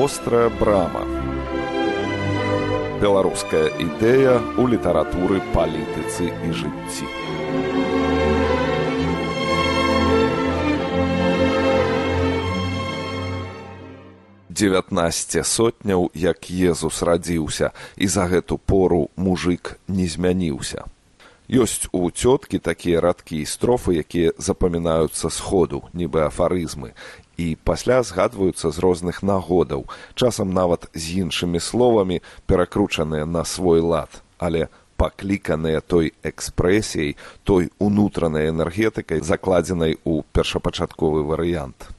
Вострая брама. Беларуская ідэя ў літаратуры, палітыцы і жыцці. «19 сотняў, як Езус радзіўся, і за гэту пору мужык не змяніўся». Ёсць у цёткі такія радкі і строфы, якія запамінаюцца сходу, нібы афарызмы, і пасля згадваюцца з розных нагодаў, часам нават з іншымі словамі, перакручаныя на свой лад, але пакліканыя той экспрэсіяй, той унутранай энергетыкай, закладзенай у першапачатковы варыянт.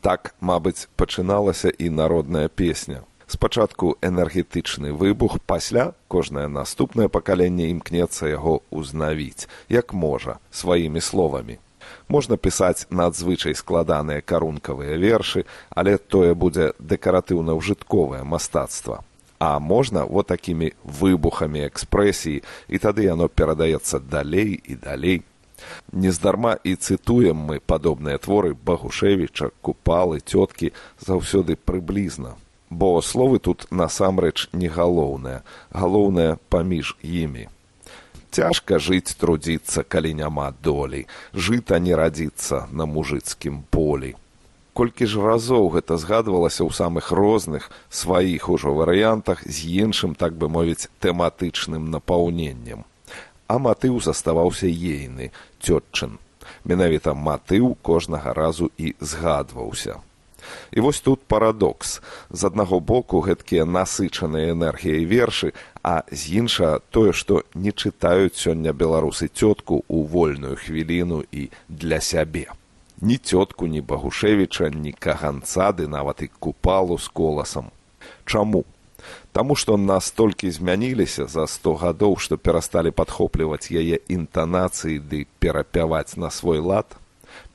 Так, мабыць, пачыналася і народная песня. Спачатку энергетычны выбух, пасля кожнае наступнае пакаленне імкнецца яго ўзнавіць, як можа, сваімі словамі. Можна пісаць надзвычай складаныя карункавыя вершы, але тое будзе дэкаратыўна-ўжытковае мастацтва. А можна вот такімі выбухамі экспрэсіі, і тады яно перадаецца далей і далей. Нездарма і цытуем мы падобныя творы Багушевіча, Купалы, цёткі заўсёды прыблізна. Бо словы тут насамрэч не галоўнае, галоўнае паміж імі. Цяжка жыць, трудзіцца, калі няма долі, жыта не радзіцца на мужыцкім полі. Колькі ж разоў гэта згадвалася ў самых розных, сваіх ужо варыянтах з іншым, так бы мовіць, тэматычным напаўненнем. А матыў заставаўся ейны, цётчын. Менавіта матыў кожнага разу і згадваўся. І вось тут парадокс. З аднаго боку гэткія насычаныя энергіяй вершы, а з іншага тое, што не чытаюць сёння беларусы цётку ў вольную хвіліну і для сябе. Ні цётку, ні Багушевіча, ні Каганца, ды нават і Купалу з коласам. Чаму? Таму што настолькі змяніліся за 100 гадоў, што перасталі падхопліваць яе інтанацыі ды перапяваць на свой лад,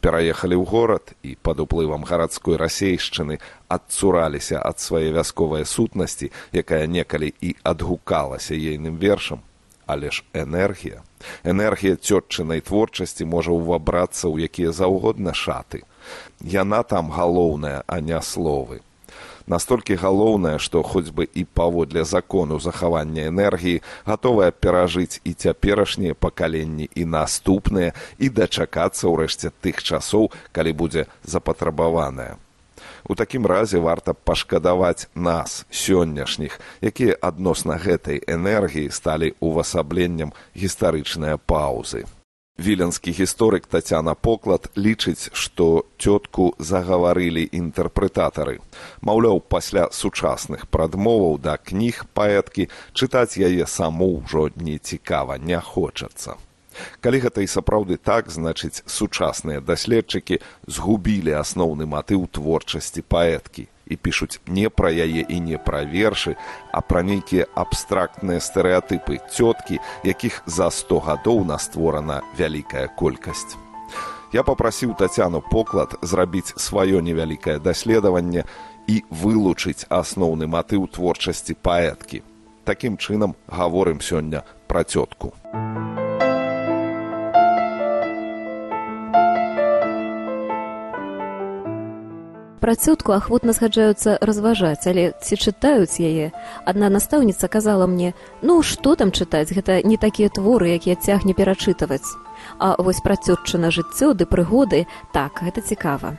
пераехалі ў горад і пад уплывам гарадской расейшчыны адцураліся ад свае вясковай сутнасці, якая некалі і адгукалася ейным вершам. Але ж энергія цётчынай творчасці можа ўвабрацца ў якія заўгодна шаты. Яна там галоўная, а не словы. Настолькі галоўнае, што хоць бы і паводле закону захавання энергіі гатовая перажыць і цяперашнія пакаленні, і наступныя, і дачакацца ўрэшце тых часоў, калі будзе запатрабаваная. У такім разе варта пашкадаваць нас, сённяшніх, якія адносна гэтай энергіі сталі увасабленнем гістарычныя паўзы. Віленскі гісторык Тацяна Поклад лічыць, што цётку загаварылі інтэрпрэтатары. Маўляў, пасля сучасных прадмоваў да кніг паэткі чытаць яе саму ўжо не цікава, не хочацца. Калі гэта і сапраўды так, значыць, сучасныя даследчыкі згубілі асноўны матыў творчасці паэткі і пішуць не пра яе і не пра вершы, а пра нейкія абстрактныя стэрэатыпы цёткі, якіх за 100 гадоў настворана вялікая колькасць. Я папрасіў Тацяну Поклад зрабіць сваё невялікае даследаванне і вылучыць асноўны матыў творчасці паэткі. Такім чынам гаворым сёння пра цётку. Пра цётку ахвотна згаджаюцца разважаць, але ці чытаюць яе? Адна настаўніца казала мне: «Ну, што там чытаць, гэта не такія творы, якія цягне перачытваць». А вось пра цётчына жыццё ды прыгоды, так, гэта цікава.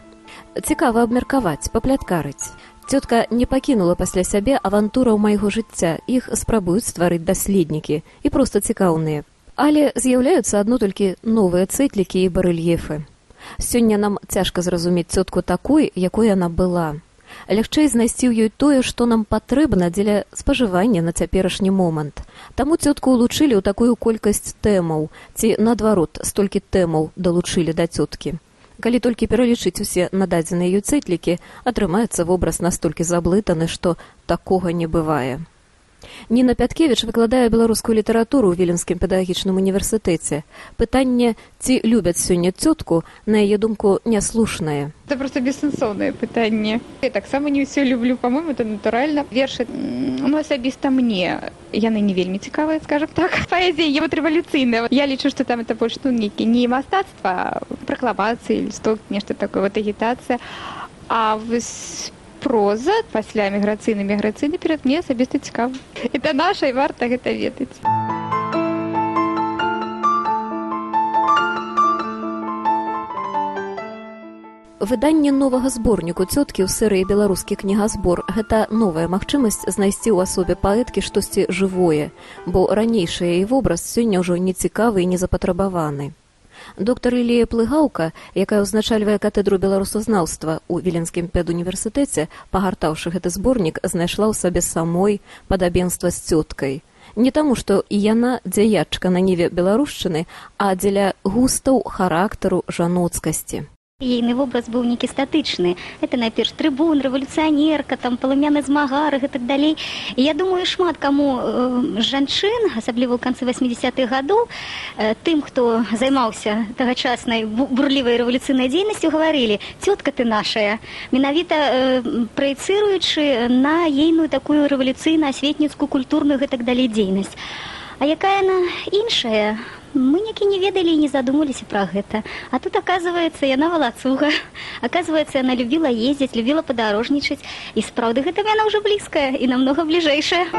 Цікава абмеркаваць, папляткарыць. Цётка не пакінула пасля сябе авантураў майго жыцця, іх спрабуюць стварыць даследнікі, і проста цікаўныя. Але з'яўляюцца адно толькі новыя цэтлікі і барэльефы. Сёння нам цяжка зразумець цётку такой, якой яна была. Лягчэй знайсці ў ёй тое, што нам патрэбна дзеля спажывання на цяперашні момант. Таму цётку ўлучылі ў такую колькасць тэмаў, ці, наадварот, столькі тэмаў далучылі да цёткі. Калі толькі пералічыць усе нададзеныя ёй цэтлікі, атрымаецца вобраз настолькі заблытаны, што такога не бывае. Ніна Пяткевіч выкладае беларускую літаратуру ў Віленскім педагагічным універсітэце. Пытанне, ці любяць сёння цётку, на яе думку, няслушнае. Это просто бессэнсоўнае пытанне. Я таксама не ўсё люблю, па-мойму, это натуральна. Вершы, асабіста мне, яны не вельмі цікавыя, скажам так. Паэзія є рэвалюцыйная. Я лічу, што там это больш нейкі не мастацтва, пракламацыі, лісток, нешта такое, агітацыя. А вось проза, пасля міграцыйны перыяд мне асабіста цікава. Это наша і варта гэта ведаць. Выданне новага зборніку цёткі ў серыі «Беларускі кнігазбор» – гэта новая магчымасць знайсці ў асобе паэткі штосьці жывое, бо ранейшы яе вобраз сёння ўжо нецікавы і незапатрабаваны. Доктар Ілія Плыгаўка, якая ўзначальвае катедру беларусазнаўства ў Віленскім педуніверсітэце, пагартаўшы гэты зборнік, знайшла ў сабе самой падабенства з цёткай. Не таму, што і яна дзяячка на ніве беларушчыны, а дзеля густаў характару жаноцкасці. Ейны вобраз быў некі статычны. Это найперш трыбун, рэвалюцыянерка, там паламяны змагар і так далей. І я думаю, шмат каму жанчын, асабліва ў канцы 80-х гадоў, тым, хто займаўся тагачаснай бурлівай рэвалюцыйнай дзейнасцю, гаварылі: «Цётка ты нашая», менавіта праецыруючы на ейную такую рэвалюцыйна-асветніцкую, культурную і так далей дзейнасць. А якая яна іншая? Мы некі не ведалі і не задумаліся пра гэта. А тут, оказывается, яна валацуга. Оказывается, яна любіла ездзіць, любіла падарожнічаць. І сапраўды гэта яна ўжо блізкая і намнога бліжэйшая.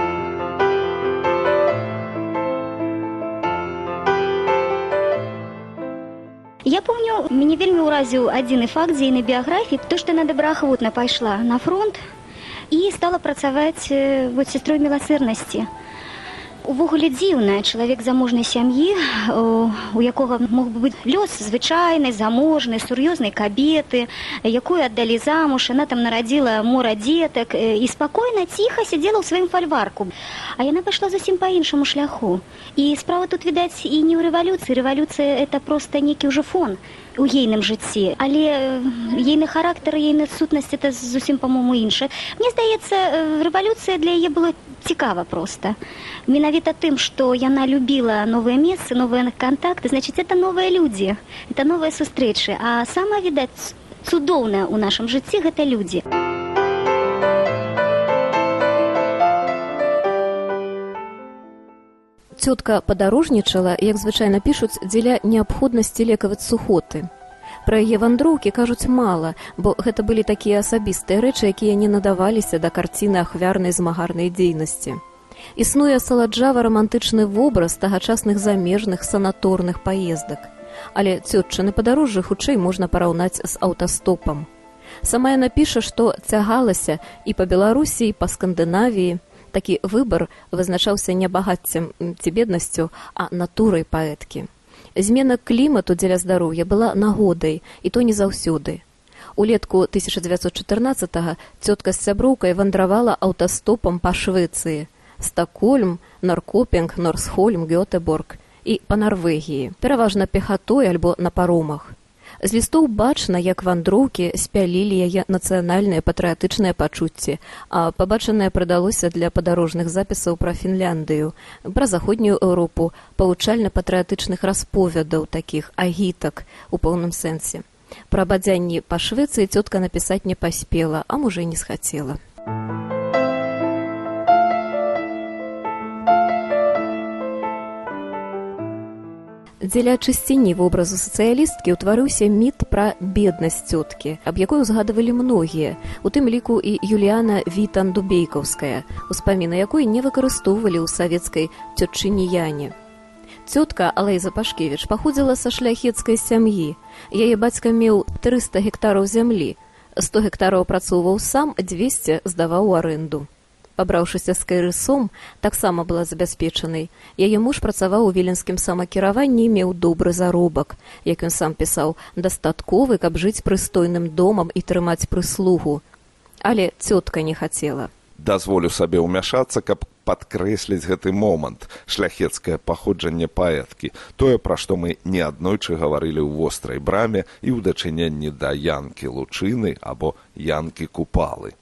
Я помню, мяне вельмі ўразіў адзіны факт з ейнай біяграфіі, то, што яна добраахвотна пайшла на фронт і стала працаваць сястрой міласэрнасці. Увогуле дзіўна, чалавек заможнай сям'і, у якога мог бы быць лёс звычайнай, заможнай, сур'ёзнай кабеты, якую аддалі замуж, яна там нарадзіла мора дзетак і спакойна, ціха сядзела ў сваім фальварку. А яна пайшла зусім па іншаму шляху. І справа тут, відаць, і не ў рэвалюцыі. Рэвалюцыя – это проста некі ўжо фон у ейным жыцці, але ейны характар, ейная сутнасць – это зусім, па-мому, іншае. Мне здаецца, рэвалюцыя для яе была цікава проста. Менавіта тым, што яна любіла новыя месцы, новыя кантакты, значыць, это новыя людзі, это новыя сустрэчы. А самае, відаць, цудоўнае ў нашым жыцці – гэта людзі. Цётка падарожнічала, як звычайна пішуць, дзеля неабходнасці лекаваць сухоты. Пра яе вандроўкі кажуць мала, бо гэта былі такія асабістыя рэчы, якія не надаваліся да карціны ахвярнай змагарнай дзейнасці. Існуе саладжава-рамантычны вобраз тагачасных замежных санаторных паездак. Але цётчыны падарожжы хутчэй можна параўнаць з аўтастопам. Сама яна піша, што цягалася і па Беларусі, і па Скандынавіі. Такі выбар вызначаўся не багаццем ці беднасцю, а натурай паэткі. Змена клімату дзеля здароўя была нагодай, і то не заўсёды. Улетку 1914-го цётка з сяброўкай вандравала аўтастопам па Швецыі, Стакгольм, Норркопінг, Норсхольм, Гётэборг і па Нарвегіі, пераважна пехатой альбо на паромах. З лістоў бачна, як вандроўкі спялілі яе нацыянальныя патрыятычныя пачуцці, а пабачанае прыдалося для падарожных запісаў пра Фінляндыю, пра заходнюю Еўропу, павучальна-патрыятычных расповядаў такіх, агітак у поўным сэнсе. Пра бадзянні па Швецыі цётка напісаць не паспела, а можа і не схацела. Дзеля чысціні вобразу сацыялісткі ўтварыўся міт пра беднасць цёткі, аб якой узгадывалі многія, у тым ліку і Юліяна Вітан-Дубейкаўская, успаміны якой не выкарыстоўвалі ў савецкай цётчыні Яне. Цётка Алэйза Пашкевіч паходзіла са шляхецкай сям'і. Яе бацька меў 300 гектараў зямлі, 100 гектараў працоўваў сам, 200 здаваў у арэнду. Пабраўшыся з кайрысом, таксама была забяспечанай. Яе муж працаваў у віленскім самакіраванні і меў добры заробак, як ён сам пісаў, дастатковы, каб жыць прыстойным домам і трымаць прыслугу. Але цётка не хацела. Дазволю сабе ўмяшацца, каб падкрэсліць гэты момант, шляхецкае паходжанне паэткі, тое, пра што мы неаднойчы гаварылі ў вострай браме і ў дачыненні да Янкі Лучыны або Янкі Купалы.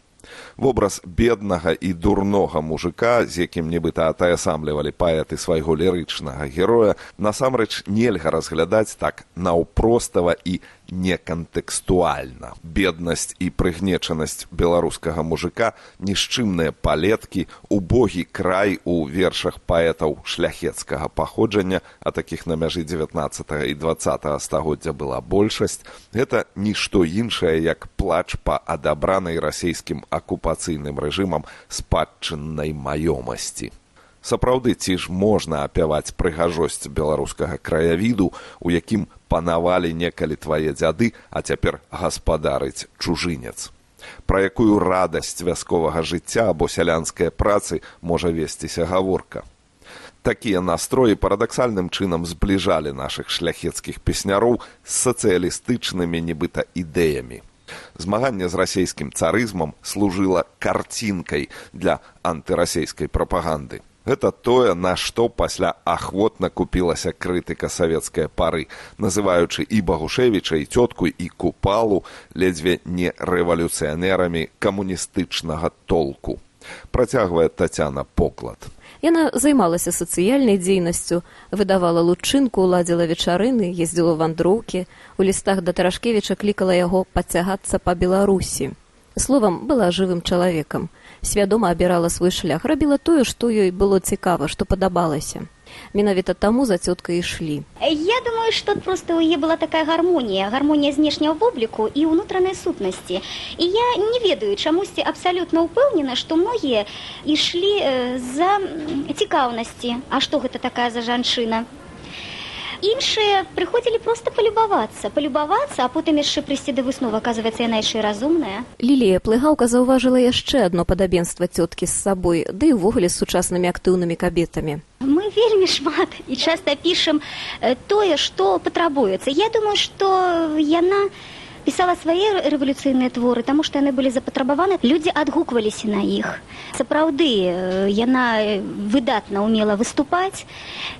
Вобраз беднага і дурнога мужика, з якім нібыта атаясамлівалі паэты свайго лірычнага героя, насамрэч нельга разглядаць так наўпростава і некантэкстуальна. Беднасць і прыгнечанасць беларускага мужика, нішчымныя палеткі, убогі край у вершах паэтаў шляхецкага паходжання, а такіх на мяжы 19 і 20 стагоддзя была большасць, гэта нішто іншае, як плач па адабранай расійскім акупацыйным рэжымам спадчыннай маёмасці. Сапраўды, ці ж можна апяваць прыгажосць беларускага краявіду, у якім панавалі некалі твае дзяды, а цяпер гаспадарыць чужынец? Пра якую радасць вясковага жыцця або сялянскай працы можа весціся гаворка? Такія настроі парадаксальным чынам збліжалі нашых шляхецкіх песняроў з сацыялістычнымі нібыта ідэямі. Змаганне з расійскім царызмам служыла карцінкай для антырасійскай прапаганды. Гэта тое, на што пасля ахвотна купілася крытыка савецкай пары, называючы і Багушевіча, і цётку, і Купалу ледзьве не рэвалюцыянерамі камуністычнага толку. Працягвае Тацяна поклад. Яна займалася сацыяльнай дзейнасцю, выдавала лучынку, ладзіла вечарыны, ездзіла ў вандроўкі, у лістах да Тарашкевіча клікала яго пацягацца па Беларусі. Словам, была жывым чалавекам. Свядома абірала свой шлях, рабіла тое, што ёй было цікава, што падабалася. Менавіта таму за цёткай ішлі. Я думаю, что просто у яе была такая гармонія знешняга вобліку і ўнутранай сутнасці. І я не ведаю, чамусьці абсалютна ўпэўнена, што многія ішлі за цікаўнасці. А што гэта такая за жанчына? Іншыя прыходзілі проста палюбавацца, а потым яшчэ прыйсці да высновы, аказваецца, яна яшчэ разумная. Лілія Плыгаўка заўважыла яшчэ адно падабенства цёткі з сабой, ды і ўвогуле з сучаснымі актыўнымі кабетамі. Мы вельмі шмат і часта пішам тое, што патрабуецца. Я думаю, што яна пісала свае рэвалюцыйныя творы, таму што яны былі запатрабаваны, людзі адгукваліся на іх. Сапраўды, яна выдатна ўмела выступаць,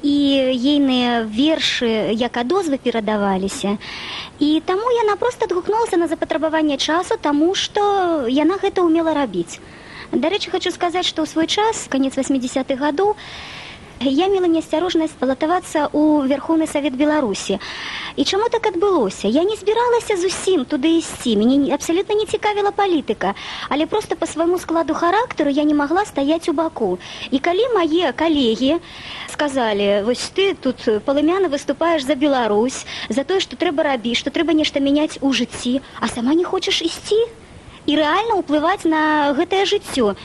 і ейныя вершы як адозвы перадаваліся. І таму яна проста адгукнулася на запатрабаванне часу, таму што яна гэта ўмела рабіць. Дарэчы, хочу сказаць, што ў свой час, канец 80-х гадоў, я мела неасцярожнасць балатавацца ў Верховны Савет Беларусі. І чаму так адбылося? Я не збіралася зусім туды ісці, мяне абсалютна не цікавіла палітыка, але проста па свайму складу характару я не магла стаяць у баку. І калі мае калегі сказалі, вось ты тут палымяна выступаеш за Беларусь, за тое, што трэба рабіць, што трэба нешта мяняць у жыцці, а сама не хочаш ісці і рэальна ўплываць на гэтае жыццё.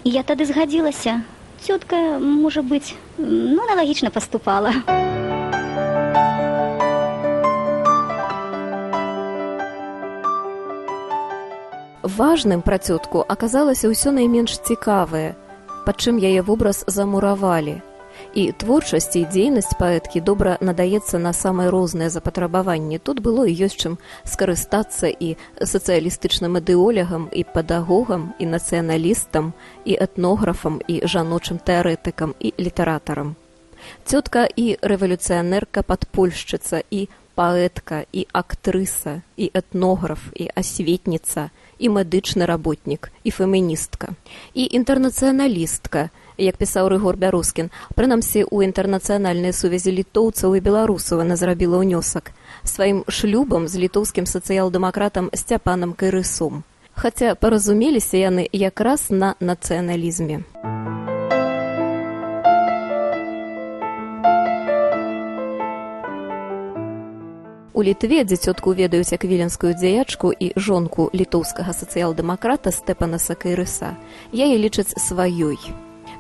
І я тады згадзілася. Тётка, можа быць, аналагічна паступала. Важным пра цётку аказалася ўсё найменш цікавае, пад чым яе вобраз замуравалі. І творчасць і дзейнасць паэткі добра надаецца на самыя розныя запатрабаванні. Тут было і ёсць чым скарыстацца і сацыялістычным ідэолягам, і педагогам, і нацыяналістам, і этнографам, і жаночым тэарэтыкам, і літаратарам. Цётка і рэвалюцыянерка, падпольшчыца, і паэтка, і актрыса, і этнограф, і асветніца, і медычны работнік, і феміністка, і інтэрнацыяналістка, як пісаў Рыгор Бярускін, прынамсі ў інтэрнацыянальнай сувязі літоўцаў і беларусаў яна зрабіла ўнёсак сваім шлюбам з літоўскім сацыял-дэмакратам Сцяпанам Кайрысом. Хаця паразумеліся яны якраз на нацыяналізме. У Літве, дзе цётку ведаюць як віленскую дзеячку і жонку літоўскага сацыял-дэмакрата Стэпанаса Кайрыса, яе лічаць сваёй.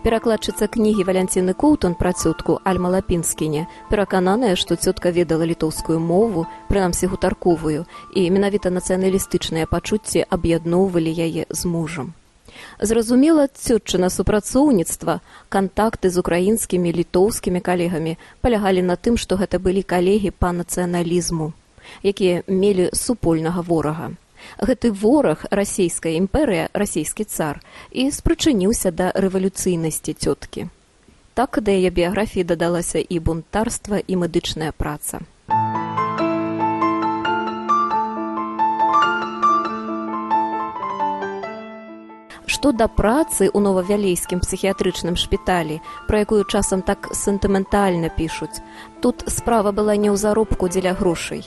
Перакладчыца кнігі Валянціны Коўтон пра цётку Альма Лапінскіне перакананая, што цётка ведала літоўскую мову, прынамсі гутарковую, і менавіта нацыяналістычныя пачуцці аб'ядноўвалі яе з мужам. Зразумела, цётчына супрацоўніцтва, кантакты з украінскімі, літоўскімі калегамі палягалі на тым, што гэта былі калегі па нацыяналізму, якія мелі супольнага ворага. Гэты вораг, расійская імперыя, расійскі цар, і спрычыніўся да рэвалюцыйнасці цёткі. Так да яе біяграфіі дадалася і бунтарства, і медычная праца. Што да працы ў новавялейскім псіхіятрычным шпіталі, пра якую часам так сентыментальна пішуць, тут справа была не ў заробку дзеля грошай.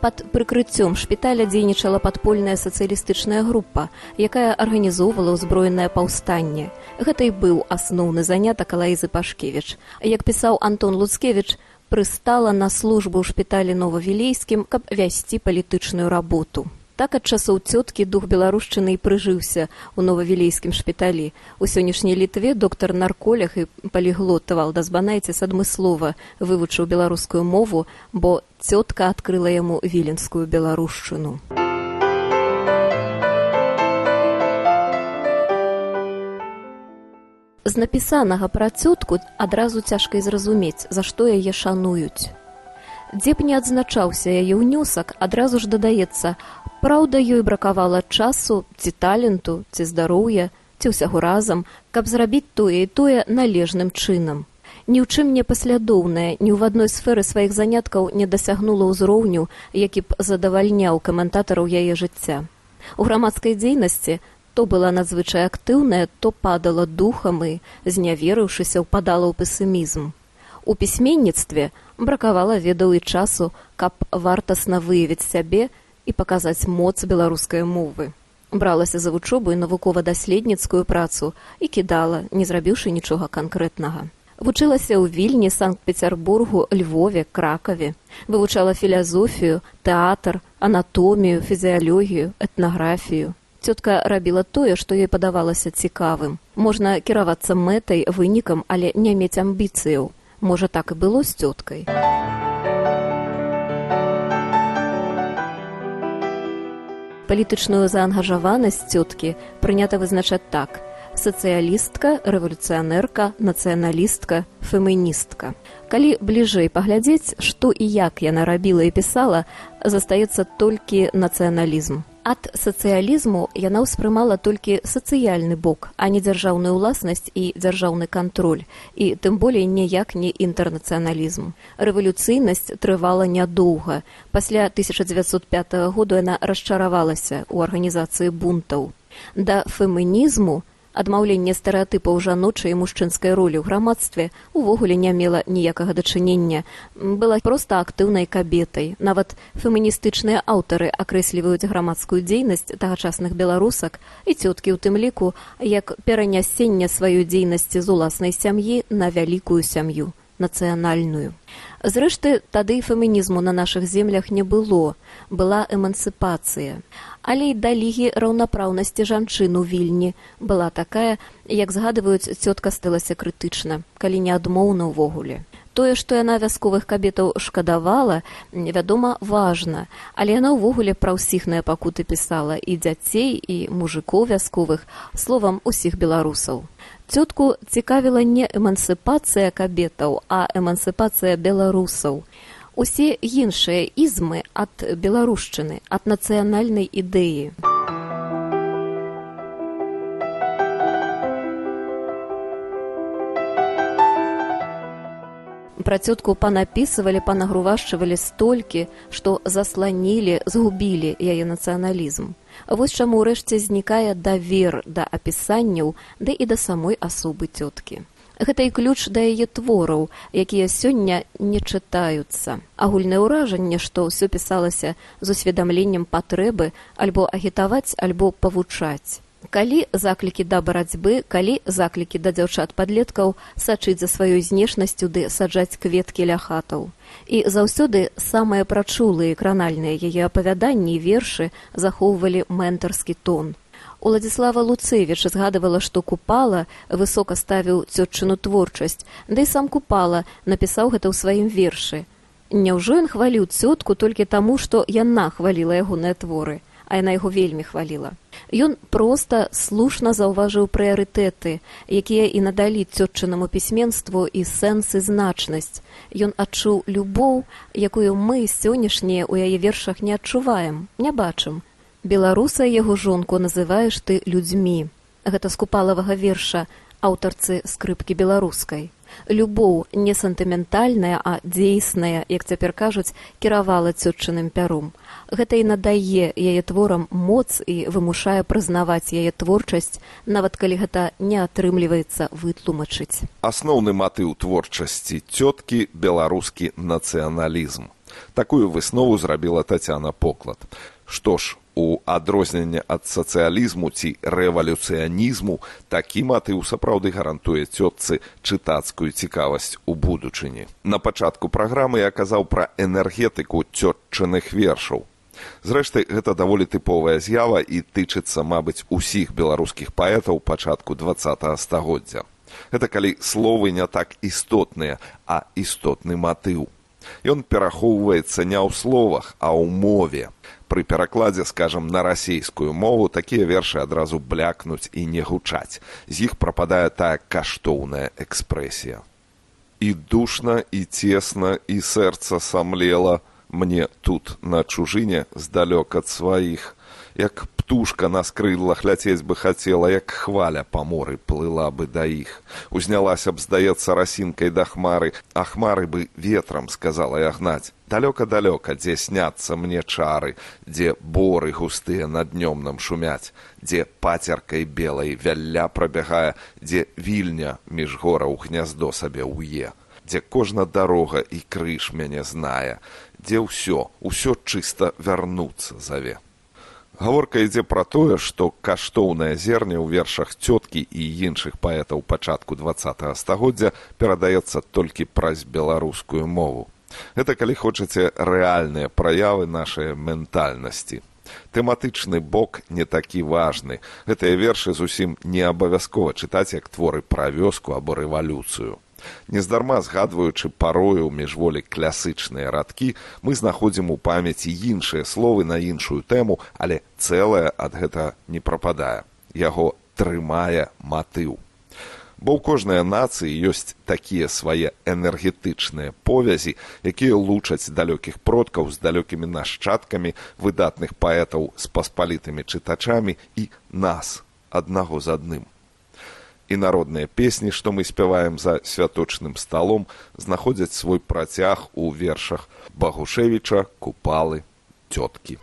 Пад прыкрыццём шпіталя дзейнічала падпольная сацыялістычная група, якая арганізоўвала ўзброенае паўстанне. Гэта і быў асноўны занятак Алаізы Пашкевіч. Як пісаў Антон Луцкевіч, прыстала на службу ў шпіталі Новавілейскім, каб весці палітычную работу. Так ад часоў цёткі дух беларушчыны і прыжыўся ў Новавілейскім шпіталі. У сённяшняй Літве доктар-нарколог і паліглот Валдас Банайціс адмыслова вывучыў беларускую мову, бо цётка адкрыла яму віленскую беларушчыну. З напісанага пра цётку адразу цяжка і зразумець, за што яе шануюць. Дзе б не адзначаўся яе ўнёсак, адразу ж дадаецца: праўда, ёй бракавала часу, ці таленту, ці здароўя, ці ўсяго разам, каб зрабіць тое і тое належным чынам. Ні ў чым не паслядоўная, ні ў адной сферы сваіх заняткаў не дасягнула ўзроўню, які б задавальняў каментатараў яе жыцця. У грамадскай дзейнасці то была надзвычай актыўная, то падала духам і, зняверыўшыся, упадала ў песімізм. У пісьменніцтве бракавала ведаў і часу, каб вартасна выявіць сябе і паказаць моц беларускай мовы. Бралася за вучобу і навукова-даследніцкую працу і кідала, не зрабіўшы нічога канкрэтнага. Вучылася ў Вільні, Санкт-Пецярбургу, Львове, Кракаве. Вывучала філазофію, тэатр, анатомію, фізіялогію, этнаграфію. Цётка рабіла тое, што ёй падавалася цікавым. Можна кіравацца мэтай, вынікам, але не мець амбіцыяў. Можа, так і было з цёткай. Палітычную заангажаванасць цёткі прынята вызначаць так: сацыялістка, рэвалюцыянерка, нацыяналістка, феміністка. Калі бліжэй паглядзець, што і як яна рабіла і пісала, застаецца толькі нацыяналізм. Ад сацыялізму яна ўспрымала толькі сацыяльны бок, а не дзяржаўную ўласнасць і дзяржаўны кантроль, і тым болей ніяк не інтэрнацыяналізм. Рэвалюцыйнасць трывала нядоўга. Пасля 1905 году яна расчаравалася ў арганізацыі бунтаў. Да фемінізму, адмаўленне стэрэатыпаў жаночай і мужчынскай ролі ў грамадстве, увогуле не мела ніякага дачынення. Была проста актыўнай кабетай. Нават феміністычныя аўтары акрэсліваюць грамадскую дзейнасць тагачасных беларусак і цёткі ў тым ліку як перанясенне сваёй дзейнасці з уласнай сям'і на вялікую сям'ю, нацыянальную. Зрэшты, тады і фемінізму на нашых землях не было. Была эмансіпацыя. Але і да лігі раўнапраўнасці жанчын у Вільні была такая, як згадваюць, цётка сталася крытычна, калі не адмоўна ўвогуле. Тое, што яна вясковых кабетаў шкадавала, вядома, важна, але яна ўвогуле пра ўсіхныя пакуты пісала, і дзяцей, і мужыкоў вясковых, словам, усіх беларусаў. Цётку цікавіла не эмансіпацыя кабетаў, а эмансіпацыя беларусаў. Усе іншыя ізмы ад беларушчыны, ад нацыянальнай ідэі. Пра цётку панапісывалі, панагрувашчывалі столькі, што засланілі, згубілі яе нацыяналізм. Вось чаму ўрэшце знікае давер да апісанняў, ды і да самой асобы цёткі. Гэта і ключ да яе твораў, якія сёння не чытаюцца. Агульнае ўражанне, што ўсё пісалася з усведамленнем патрэбы альбо агітаваць, альбо павучаць. Калі заклікі да барацьбы, калі заклікі да дзяўчат-падлеткаў сачыць за сваёй знешнасцю ды саджаць кветкі ля хатаў. І заўсёды самыя прачулыя кранальныя яе апавяданні і вершы захоўвалі ментарскі тон. Уладзіслава Луцевіч згадывала, што Купала высока ставіў цётчыну творчасць, да і сам Купала напісаў гэта ў сваім вершы. Няўжо ён хваліў цётку толькі таму, што яна хваліла ягоныя творы, а яна яго вельмі хваліла. Ён проста слушна заўважыў прыярытэты, якія і надалі цётчынаму пісьменству і сэнс і значнасць. Ён адчуў любоў, якую мы сённяшнія ў яе вершах не адчуваем, не бачым. Беларуса яго жонку называеш ты людзьмі. Гэта з Купалавага верша аўтарцы скрыпкі беларускай. Любоў не сентыментальная, а дзейсная, як цяпер кажуць, кіравала цётчыным пяром. Гэта і надае яе творам моц і вымушае прызнаваць яе творчасць, нават калі гэта не атрымліваецца вытлумачыць. Асноўны матыў творчасці цёткі – беларускі нацыяналізм. Такую выснову зрабіла Тацяна Поклад. Што ж, у адрозненне ад сацыялізму ці рэвалюцыянізму такі матыў сапраўды гарантуе цётцы чытацкую цікавасць у будучыні. На пачатку праграмы я казаў пра энергетыку цётчыных вершаў. Зрэшты, гэта даволі тыповая з'ява і тычыцца, мабыць, усіх беларускіх паэтаў пачатку 20-го стагоддзя. Гэта калі словы не так істотныя, а істотны матыў. Ён перахоўваецца не ў словах, а ў мове. Пры перакладзе, скажам, на расейскую мову такія вершы адразу блякнуць і не гучаць. З іх прападае тая каштоўная экспрэсія. І душна, і цесна, і сэрца самлела мне тут, на чужыне, здалёк ад сваіх. Як птушка на скрыллах ляцець бы хацела, як хваля па моры плыла бы да іх. Узнялася б, здаецца, расінкай да хмары, а хмары бы ветрам сказала я гнаць. Далёка-далёка, дзе сняцца мне чары, дзе боры густыя над днём нам шумяць, дзе пацеркай белай вялля прабягае, дзе вільня між гораў гняздо сабе ўе, дзе кожна дарога і крыж мяне знае, дзе ўсё чыста вярнуцца заве. Гаворка ідзе пра тое, што каштоўнае зерне ў вершах цёткі і іншых паэтаў пачатку 20-го стагоддзя перадаецца толькі праз беларускую мову. Гэта, калі хочаце, рэальныя праявы нашай ментальнасці. Тэматычны бок не такі важны. Гэтыя вершы зусім не абавязкова чытаць як творы пра вёску або рэвалюцыю. Нездарма згадваючы парою міжволі класычныя радкі, мы знаходзім у памяці іншыя словы на іншую тэму, але цэлае ад гэта не прападае. Яго трымае матыў. Бо ў кожнай нацыі ёсць такія свае энергетычныя повязі, якія лучаць далёкіх продкаў з далёкімі нашчадкамі, выдатных паэтаў з паспалітымі чытачамі і нас, аднаго з адным. І народныя песні, што мы спяваем за святочным сталом, знаходзяць свой працяг у вершах Багушевіча, Купалы, цёткі.